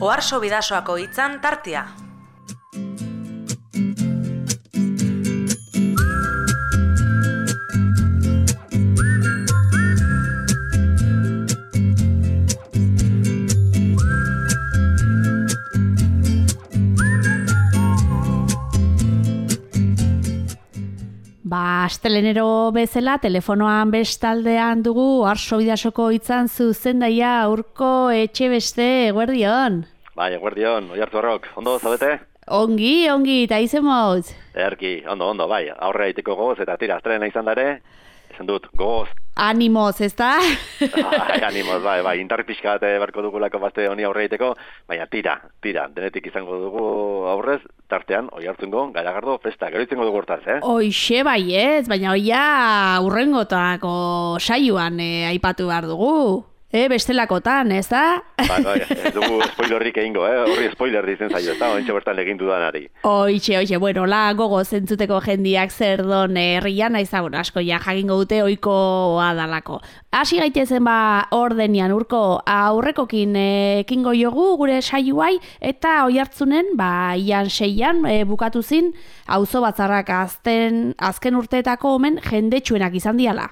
Oharso Bidasoako hitzan tartea. Astelenero bezala, telefonoan bestaldean dugu Oharso Bidasoko hitzan zuzendaia Urko Etxebeste, eguerdion. Bai, eguerdion, Oiartzarrok, ondo zabete? Ongi, eta izen moz? Erki, ondo, bai, aurre aiteko gogoz, eta tira, astelena izan dare, esan dut, gogoz. Animoz, ezta? Animoz, bai, indarri pixka bat berko dugulako bazte honi aurre aiteko, baina tira, denetik izango dugu aurrez, tartean, Oiartzungo, Garagardo, festa, gero izango dugu hortaz, Hoixe bai ez, baina hoia urrengotako saioan aipatu behar dugu. Bestelakotan, ez da? Bai, ez dugu spoilerrik egingo, horri spoiler dizen zaio, ez da, ointxe bertan egin dudanari. Hoixe, bueno, la gogo zentzuteko jendiak zer don herrian, asko ja jakingo dute oikoa dalako. Hasi gaitezen ordenian, Urko, aurrekokin ekingo jogu gure saioai, eta Oiartzunen, ian 6an bukatu zin, auzo batzarrak azken urteetako omen jendetsuenak izan diala.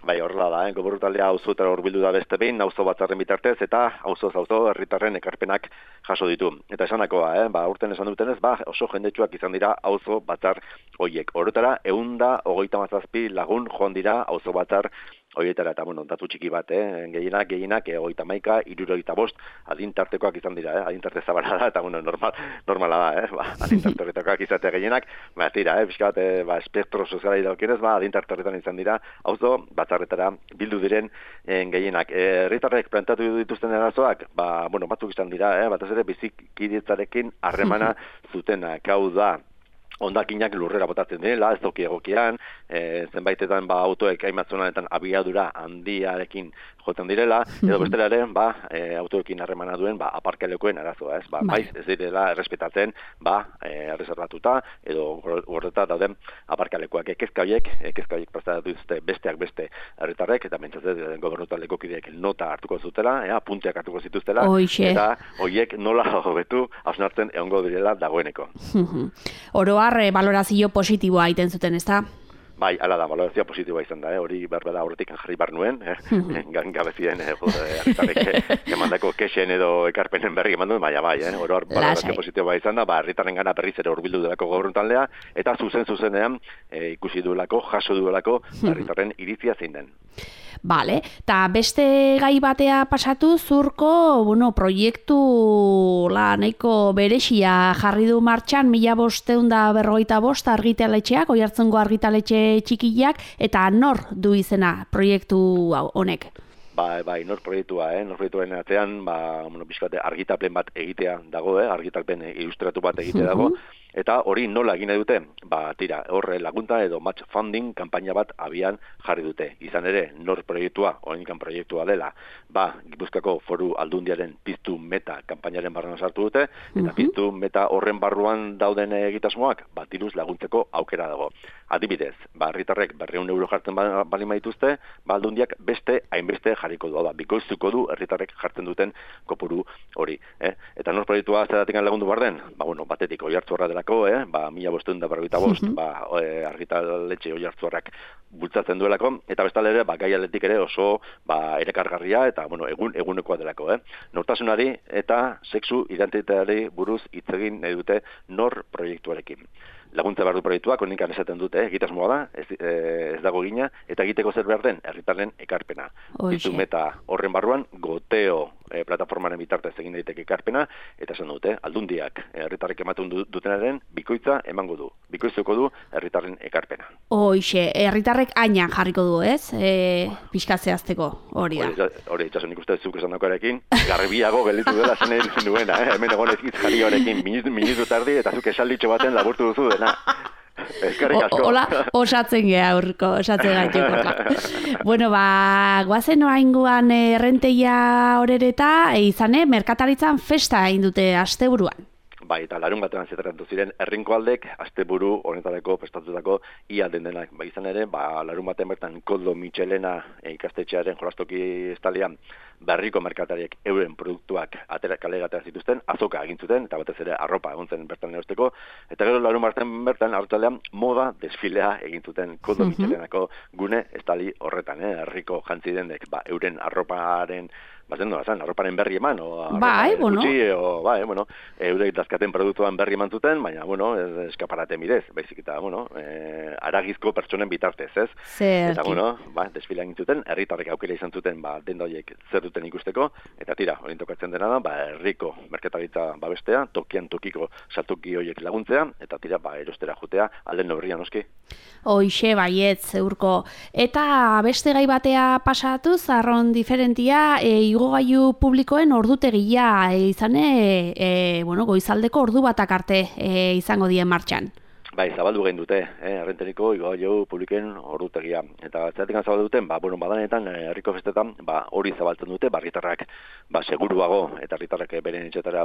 Bai, horrela da, Gobernu taldea auzotara hurbildu da beste behin, auzo batzarren bitartez, eta auzo herritarren ekarpenak jaso ditu. Eta esanakoa, urten esan dutenez, oso jendetsuak izan dira auzo batzar hoiek. Horretara, 127 lagun joan dira auzo batzar horietara, eta datu txiki bat, gehienak, 31, 65, adintartekoak izan dira, adintarte zabala da, eta normala da, adintarte horretakoak izatea gehienak, tira, pixka bat, espektro soziala idaukienez, adintarte horretan izan dira, auzo batzarretara bildu diren gehienak. Herritarrek planteatu dituzten arazoak, batzuk izan dira, batez ere bizikidetzarekin harremana zutenak, hau da, hondakinak lurrera botatzen direla, ez toki egokian, zenbaitetan autoek hainbatzonanetan abiadura handiarekin jotzen direla, edo bestelaren autoekin harremana duen aparkalekoen arazoa, ez? Maiz ez direla errespetatzen, erreserbatuta, edo horreta dauden aparkalekoak ekezka horiek prestatu dituzte besteak beste herritarrek, eta mentzatzen Gobernu taldeko kideek nota hartuko zutela, punteak hartuko zituztela, eta horiek nola hobetu hausnartzen egongo direla dagoeneko. Oroar valorazio positiboa egiten zuten, ez da? Bai, ala da, valorazioa positiboa izan da, hori berbeda horretik jarri bar nuen, gabezien herritarrek emandako kexen edo ekarpenen berri eman duen, bai, oroar valorazio positiboa izan da, herritarren gana berriz ere hurbildu delako Gobernu taldea, eta zuzenean ikusi duelako, jaso duelako herritarren iritzia zein den. Bale, eta beste gai batea pasatu Urko, proiektu nahiko berexia jarri du martxan 1545 argitaletxeak, Oiartzungo argitaletxe txikiak, eta nor du izena proiektu honek? Bai, nor proiektuaren atzean, pixkate argitapen bat egitea dago, argitapen ilustratu bat egitea dago, eta hori nola egin dute? Tira, horre lagunta edo match funding kanpaina bat abian jarri dute. Izan ere, nor proiektua, oraindik proiektua dela, Gipuzkoako Foru Aldundiaren Piztu Meta kanpainaren barruan sartu dute, eta Piztu Meta horren barruan dauden egitasmoak, diruz laguntzeko aukera dago. Adibidez, herritarrek 200 euro jartzen bali maituzte, Aldundiak beste hainbeste jarriko du, bikoiztuko du herritarrek jartzen duten kopuru hori. Eta nor proiektua zeratik lagundu barden? Batetik Oiartzungo delako, 1545, argitaletxe Oiartzungoak bultzatzen duelako, eta bestalde ere, gai aldetik ere oso erekargarria eta egunekoa delako. Nortasunari eta sexu identitateari buruz hitz egin nahi dute nor proiektuarekin. Laguntza behar du proiektuak, honinkan esaten dute, egitasmoa da, ez dago gina, eta egiteko zer behar den, herritarren ekarpena. Piztu Meta horren barruan, goteo plataformaren bitartez egin daiteke ekarpena, eta esan dute, aldundiak herritarrek ematen dutenaren bikoitza emango du. Bikoiztuko du herritarren ekarpena. Hoixe, herritarrek ainan jarriko du, ez? Pixkatzeazteko hori da. Hori, itxasun ikuste zuk esan dakoarekin, garbiago gelditu dela zen egin duena, hemen egon ezkitz jarri horekin, minutu tardi, eta zuk esalditxo baten laburtu duzu dena. Eskerrik asko. Hola, osatzen geha, Urko, osatzen gaiteko. Bueno, guazen oraingoan errenteia horereta, izane, merkataritzan festa egin dute asteburuan. Bai, eta larun batean zetaratu ziren herrinkoaldek asteburu honetarako prestatutako ia den denak. Izan ere, larun batean bertan Koldo Michelena ikastetxearen jolastoki estalian berriko merkatariek euren produktuak kalera atera zituzten, azoka egin zuten, eta batez ere arropa egon zen bertan erosteko, eta gero larun batean bertan arratsaldean moda desfilea egin zuten Koldo Michelenako gune estali horretan, herriko jantzi denek, euren arroparen arroparen berri eman, eurek dazkaten produktuan berri eman zuten, baina, eskaparate midez, baizik eta, aragizko pertsonen bitartez, ez? Eta, desfila egin zuten, herritarrek aukera izan zuten, denda horiek zer duten ikusteko, eta tira, hori tokatzen dena da, herriko merkataritza babestea, tokian tokiko saltoki horiek laguntzea, eta tira, erostera jutea, alden neurrian noski. Hoixe baietz, Urko. Eta beste gai batea pasatuz, arron diferentia, igogailu publikoen ordutegia izane, goizaldeko ordu batak arte izango dien martxan. Bai, zabaldu egin dute, Errenteriko igogailu publiken ordutegia. Eta zeratik zabaldu duten, badanetan, herriko festetan, hori zabaltzen dute, herritarrak seguruago, eta herritarrak beren etxetara,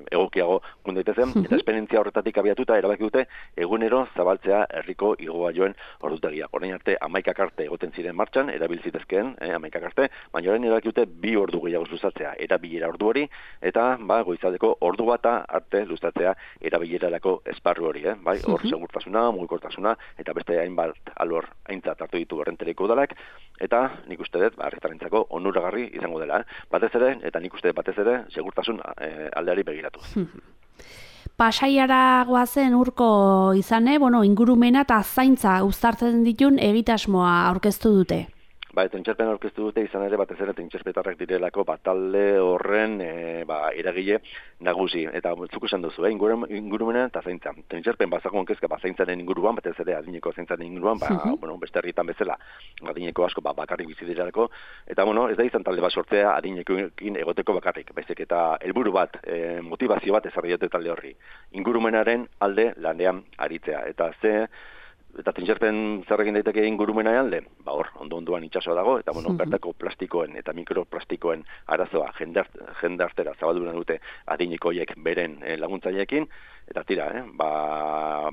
egokiago gundaitezen, eta esperientzia horretatik abiatuta erabaki dute, egunero zabaltzea herriko igogailuen ordutegia. Orain arte, 11 arte egoten ziren martxan, erabiltzitezkeen, 11 arte, baina orain erabaki dute 2 ordu gehiago luzatzea, erabilera ordu hori, eta goizaldeko ordu bata arte luzatzea erabilerarako esparru hori, hor segurtasuna, mugikortasuna, eta beste hainbat alor aintzat hartu ditu Errenteriko udalak, eta nik uste dut, herritarrentzako onuragarri izango dela, batez ere, eta nik uste batez ere, segurtasun aldeari begiratuz. Pasaiara goazen Urko izane, ingurumena eta zaintza uztartzen ditun egitasmoa aurkeztu dute. Tentxerpen aurkeztu dute izan ere batez ere tentxerpetarrak direlako talde horren eragile nagusi. Eta zuk esan duzu, ingurumena eta zaintza. Tentxerpen bazagoen kezka zaintzaren inguruan, batez ere adineko zaintzaren inguruan, beste herrietan bezala adineko asko bakarrik bizi direlako. Eta ez da izan talde bat sortzea adinekoekin egoteko bakarrik. Baizik eta helburu bat, motivazio bat ezarri dute talde horri. Ingurumenaren alde lanean aritzea. Eta tentxerpen zer egin daiteke ingurumena alde? Ondo-ondoan itsasoa dago, eta bertako plastikoen eta mikroplastikoen arazoa jendartera zabaldu dute adinekoiek beren laguntzaileekin, eta tira,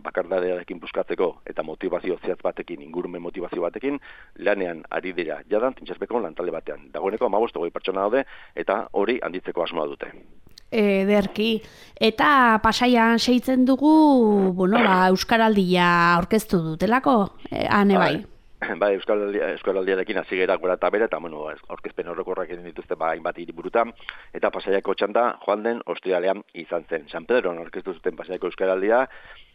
bakardadearekin buskatzeko eta motivazio zehatz batekin, ingurumen motivazio batekin, lanean ari dira jadan tentxerpeko lantalde batean. Dagoeneko 15-20 pertsona daude, eta hori handitzeko asmoa dute. Ederki. Eta Pasaian seitzen dugu, Euskaraldia aurkeztu dutelako, ane bai? Euskaraldiarekin hasi gera gora eta bere, eta aurkezpen horrekorrak egin dituzte hainbat hiriburutan, eta Pasaiako txanda joan den ostiralean izan zen. San Pedroan aurkeztu zuten Pasaiako Euskaraldia,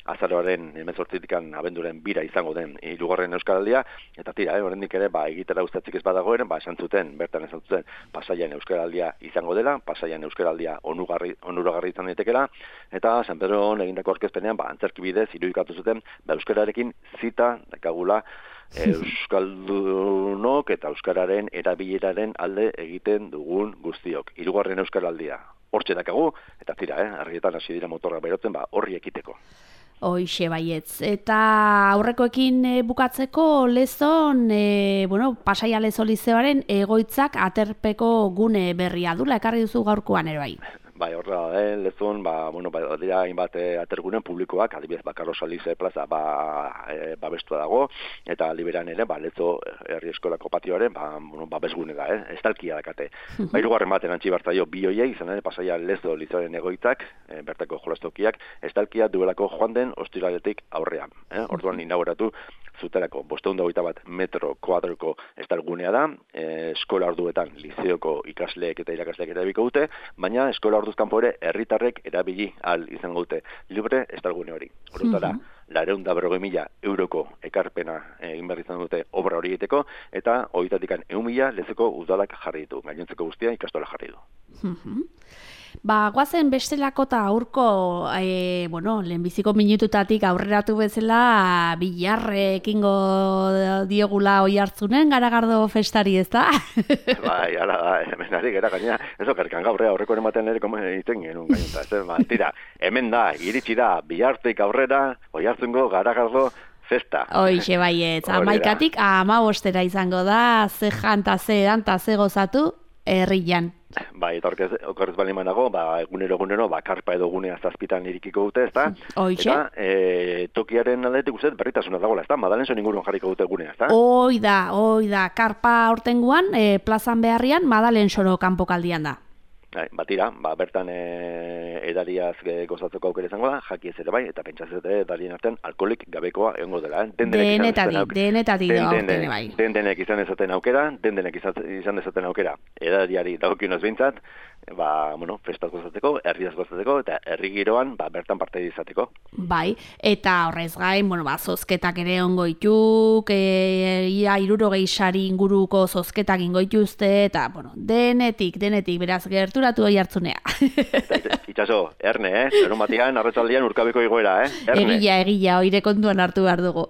azaroaren 18 abenduaren 2 izango den 3. Euskaraldia, eta tira, oraindik ere, egitera ustatzik ez badagoen, esan zuten, bertan esan zuten, Pasaian Euskaraldia izango dela, Pasaian Euskaraldia onuragarri izan daitekela, eta San Pedroan egindako aurkezpenean, antzerki bidez, irudikatu zuten, Euskararekin zita dakagula Euskaldunok eta Euskararen erabileraren alde egiten dugun guztiok. 3. Euskaraldia. Hortxe dakagu, eta tira, argietan hasi dira motorrak berotzen, horri ekiteko. Hoixe baietz. Eta aurrekoekin bukatzeko Lezon, Pasaia Lezo Lizeoaren egoitzak aterpeko gune berria dula, ekarri duzu gaurkoan ere bai. Horra da, Lezon, dira hainbat atergunen publikoak, adibidez, Carlos Alize plaza babestua dago, eta liberan ere, Lezo herri eskolako patioaren, babesgune da, estalkia dakate. 3. baten antzi bartzaio bi hoiei, izan ere, Pasaia Lezo Lizeoaren egoitzak, bertako jolastokiak, estalkia duelako joan den ostiraletik aurrean. Orduan inauguratu zuterako 521 metro kuadroko estalgunea da, eskola orduetan lizeoko ikasleek eta irakasleek erabiliko dute, baina eskola orduz kanpo ere herritarrek erabili ahal izango dute libre estalgune hori. Horretara, 250.000 euroko ekarpena egin behar izan dute obra hori egiteko, eta horietatik 100.000 Lezoko udalak jarri ditu, gainontzeko guztia ikastola jarri du. Guazen bestelako eta Urko, lehenbiziko minututatik aurreratu bezala bilarrekingo diogula oi hartzunen Garagardo festari, ez da? Ala da, hemen ari gara gaina, ez okerkan gaurrea aurreko ematen ere iten genuen gainonta, tira, hemen da, iritsi da, bilartik aurrera, oi hartzungo Garagardo festa. Hoixe baietz, 11tik 15 izango da, ze janta, ze edan, ze gozatu, herrian. Bai, eta okerrez bali manago, egunero, karpa edo gunea zazpitan irikiko dute, ezta? Hoixe. Eta tokiaren aldetik uste berritasuna dagoela, ezta? Madalenzo inguruan jarriko dute gunea, ezta? Hoi da, karpa aurtengoan, plazan beharrian, Madalenzoro kanpokaldian da. Batira, bertan edariaz gozatzeko aukera izango da, jakiez ere bai, eta pentsatzen edarien artean alkoholik gabekoa egongo dela. Denetatik da aurten bai. Denek izan dezaten aukera, edariari dagokionez behintzat, festaz gozatzeko, herriaz gozatzeko, eta herri giroan, bertan parte izateko. Bai, eta horrez gain, zozketak ere ongo ituk, ia 60 sari inguruko zozketak ingo ituzte, eta, denetik, beraz gerturatu hori hartzunea. Itxaso, erne, Larun batian, arratzaldian urkabeko igoera, erne. Egia, oire kontuan hartu behar dugu.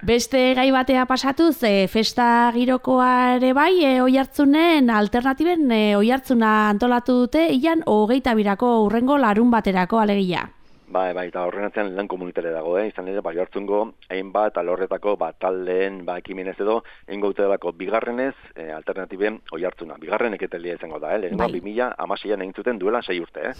Beste gai batea pasatuz, festa girokoa ere bai, oi hartzunen alternatiben oi hartzuna antolatu dute, ian 22ko urrengo larun baterako alegia. Bai, eta horren atzean lan komunitare dago, izan ere, oi hartzungo, hainbat, alorretako, taldeen, ekimenez edo, eingo dute bigarrenez, alternatiben oi hartzuna. Bigarren eketelia izango da, lehenengo 2016an egin zuten duela 6 urte,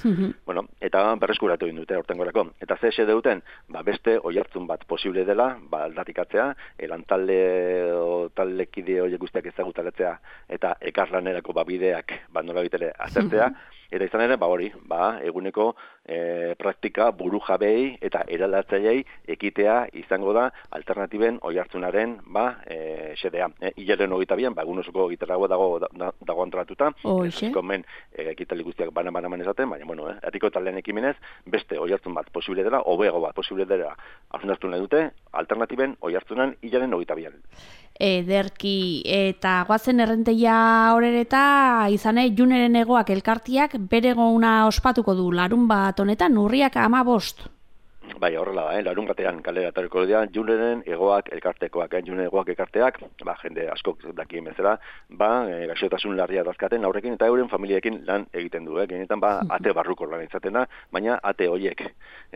eta berreskuratu egin dute hortengorako. Eta ze duten, beste oi hartzun bat posible dela, aldarrikatzea, lantalde o taldekide horiek guztiak ezagutaletzea, eta ekarlanerako bideak, nola bitere azertzea, eta izan ere, eguneko praktika buru jabei eta eraldatzaileei ekitea izango da alternatiben oi hartzunaren xedea. Hilaren 22an, egun osoko gitarragoa dago antolatuta, men ekitali guztiak banan ezaten, baina, herriko taldeen ekimenez, beste oi hartzun bat posible dela, hobeago bat posible dela, hausnartu nahi dute, alternatiben oi hartzunan hilaren 22an. Ederki, eta guazen errenteia horereta, izane, Juneren egoak elkartiak bere gona ospatuko du larun bat honetan, urriak 15. Bai, horrela da, larun batean kalera etorriko dira, Juneren egoak elkartekoak, Juneren egoak elkarteak, jende askok dakien bezala, gaixotasun larria dazkaten aurrekin eta euren familiekin lan egiten du, genetan ate barruko lan izaten da, baina ate horiek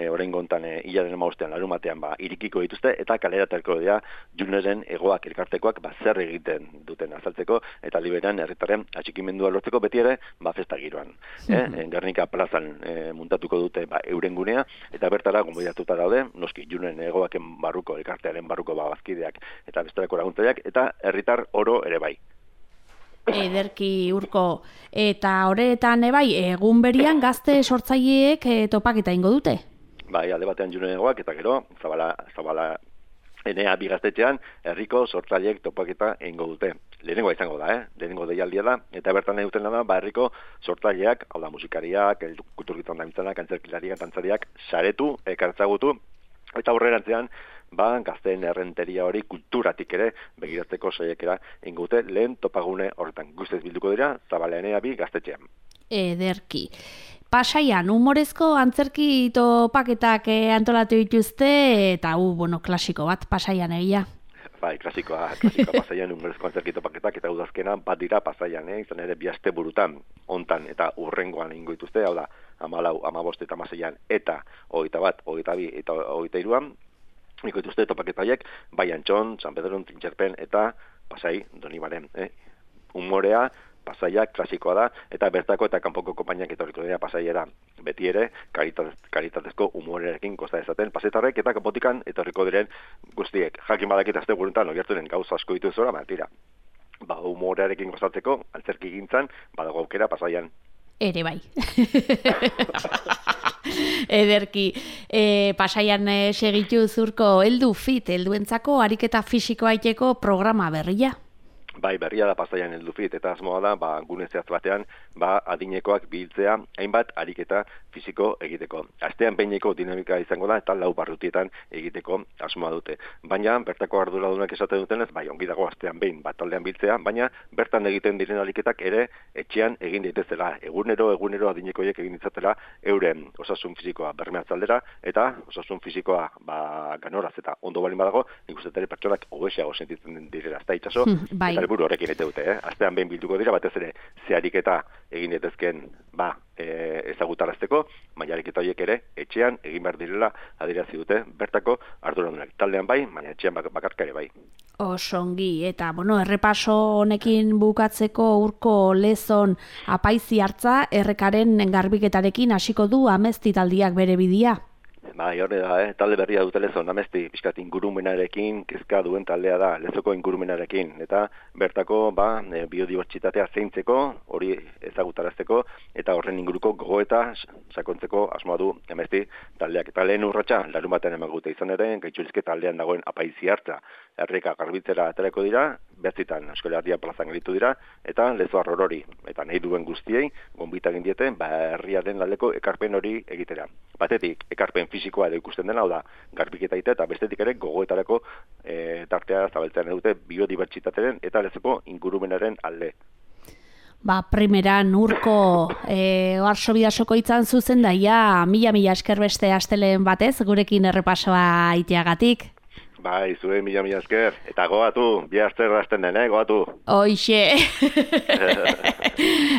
orain gontan hilaren 15 larun batean irikiko dituzte eta kalera etorriko dira Juneren egoak elkartekoak zer egiten duten azaltzeko eta liberan herritarren atxikimendua lortzeko beti ere festa giroan. Gernika plazan muntatuko dute euren gunea eta bertara gonbidatuta daude, noski Juneren egoaken barruko, elkartearen barruko bazkideak eta bestelako laguntzaileak eta herritar oro ere bai. Ederki Urko, eta horretan egun berian gazte sortzaileek topaketa ingo dute? Bai, alde batean Juneren egoak eta gero, zabala Enea bigaztetxean, herriko sortzaileek topaketa eingo dute. Lehenengoa izango da, lehenengo deialdia da, eta bertan nahi duten da, herriko sortzaileak, hau da musikariak, kulturgitan da mitzanak, antzerkilariak, dantzariak, saretu, ekartzagutu, eta aurrerantzean, gazteen errenteria hori kulturatik ere, begiratzeko saiakera eingo dute, lehen topagune horretan. Guztiz bilduko dira, Zabala Enea bigaztetxean. Ederki. Pasaian, humorezko antzerki topaketak antolatu dituzte, eta klasiko bat, Pasaian egia. Bai, klasikoa Pasaian humorezko antzerki topaketak, eta udazkena bat dira Pasaian, izan ere 2 aste burutan, hontan eta urrengoan egingo dituzte, hau da, 14, 15 eta 16an, eta 21, 22 eta 23an, egingo dituzte topaketaiek, bai Antxon, San Pedron, Tintxerpen, eta Pasai, Donibaren. Humorea, Pasaia klasikoa da, eta bertako eta kanpoko konpainiak etorriko dira Pasaiera. Beti ere, karitatezko humorerekin kosta dezaten, pasetarrek eta kanpotikan etorriko diren guztiek. Jakin badakit azte gurentan, ogertunen gauza asko ditu zora, tira. Humorearekin kostatzeko, antzerki gintzan, badago aukera Pasaian. Ere bai. Ederki, Pasaian segitu Zurko, helduentzako ariketa fisikoa iteko programa berria. Bai, berria da Pasaian heldufit, eta asmoa da, gune zehatz batean, adinekoak biltzea, hainbat ariketa fisiko egiteko. Astean behineko dinamika izango da, eta 4 barrutietan egiteko asmoa dute. Baina, bertako arduradunak esaten dutenez, ongi dago astean behin taldean biltzea, baina bertan egiten diren ariketak ere etxean egin daitezela. Egunero adinekoiek egin ditzatela euren osasun fisikoa bermeatzaldera, eta osasun fisikoa ganoraz eta ondo balin badago, nik uste ere pertsonak hobeseago sentitzen direla. Ez da itxaso, eta helburu horrekin egite dute, Astean behin bilduko dira, batez ere, zehariketa egin daitezkeen, ezagutarazteko, baina ariketa horiek ere, etxean egin behar direla adierazi dute, bertako arduradunak. Taldean bai, baina etxean bakarka ere bai. Osongi, eta, errepaso honekin bukatzeko Urko Lezon apaizi hartza, errekaren garbiketarekin hasiko du Amezti taldiak bere bidia. Bai, hori da, talde berria dute Lezon, Amezti, pixkat ingurumenarekin, kezka duen taldea da, Lezoko ingurumenarekin, eta bertako, biodibertsitatea zeintzeko, hori ezagutarazteko, eta horren inguruko gogoeta sakontzeko asmoa du Amezti taldeak. Eta lehen urratsa, larun batean emagute izan ere, Gaitxurizke taldean dagoen apaizi hartza, erreka garbitzera aterako dira, 9 Euskal Herria plazan gelitu dira, eta Lezo Arrorori, eta nahi duen guztiei, gonbita egin diete, herriaren aldeko ekarpen hori egitera. Batetik, ekarpen fisikoa edo ikusten dena, hau da, garbiketa egitea, eta bestetik ere gogoetarako tartea zabaltzean dute biodibertsitatearen eta Lezoko ingurumenaren alde. Primeran Urko Oarso Bidasoko itzan zuzen daia, mila esker beste asteleen batez, gurekin errepasoa iteagatik. Bai, zuen mila esker. Eta goatu, bi aster hasten den, goatu. Hoixe.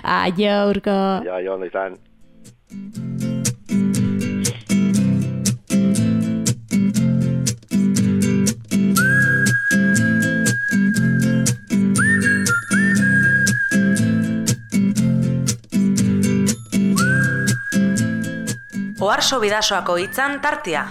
Aio, Urko. Aio, ondo izan. Oarso Bidasoako hitzan tartea.